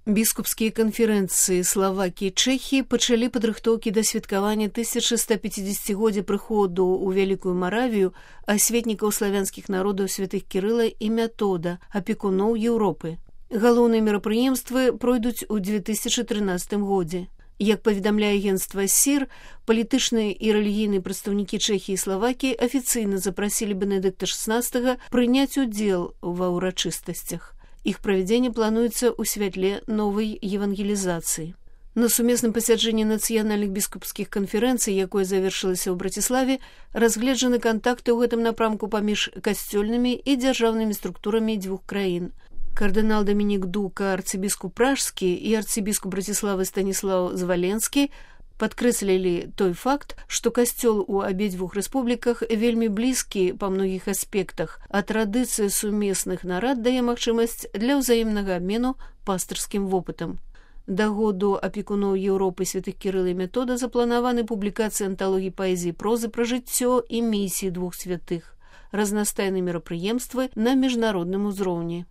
Біскупскія канферэнцыі Славакіі і Чэхіі пачалі падрыхтоўкі да святкавання 1150-годдзя прыходу ў Вялікую Маравію асветнікаў славянскіх народаў святых Кірыла і Мятода, апекуноў Еўропы. Галоўныя мерапрыемствы пройдуць у 2013 годзе. Як паведамляе агенцтва СІР, палітычныя і рэлігійныя прадстаўнікі Чэхіі і Славакіі афіцыйна запрасілі Бенедыкта XVI прыняць удзел ва ўрачыстасцях. Іх правядзенне плануецца ў святле новай евангелізацыі. На сумесным пасяджэнні нацыянальных біскупскіх канферэнцый, якое завершылася ў Браціславе, разгледжаны кантакты ў гэтым напрамку паміж касцёльнымі і дзяржаўнымі структурамі дзвюх краін. Кардынал Дамінік Дука, арцыбіскуп пражскі і арцыбіскуп Браціславы Станіслаў Зваленскі падкрэслілі той факт, што касцёл у абедзвюх рэспубліках вельмі блізкі па многіх аспектах, а традыцыя сумесных нарад дае магчымасць для ўзаемнага абмену пастырскім вопытам. Да году апекуноў Еўропы святых Кірыла і Мятода запланаваны публікацыі анталогіі паэзіі прозы пра жыццё і місіі двух святых, разнастайныя мерапрыемствы на міжнародным узроўні.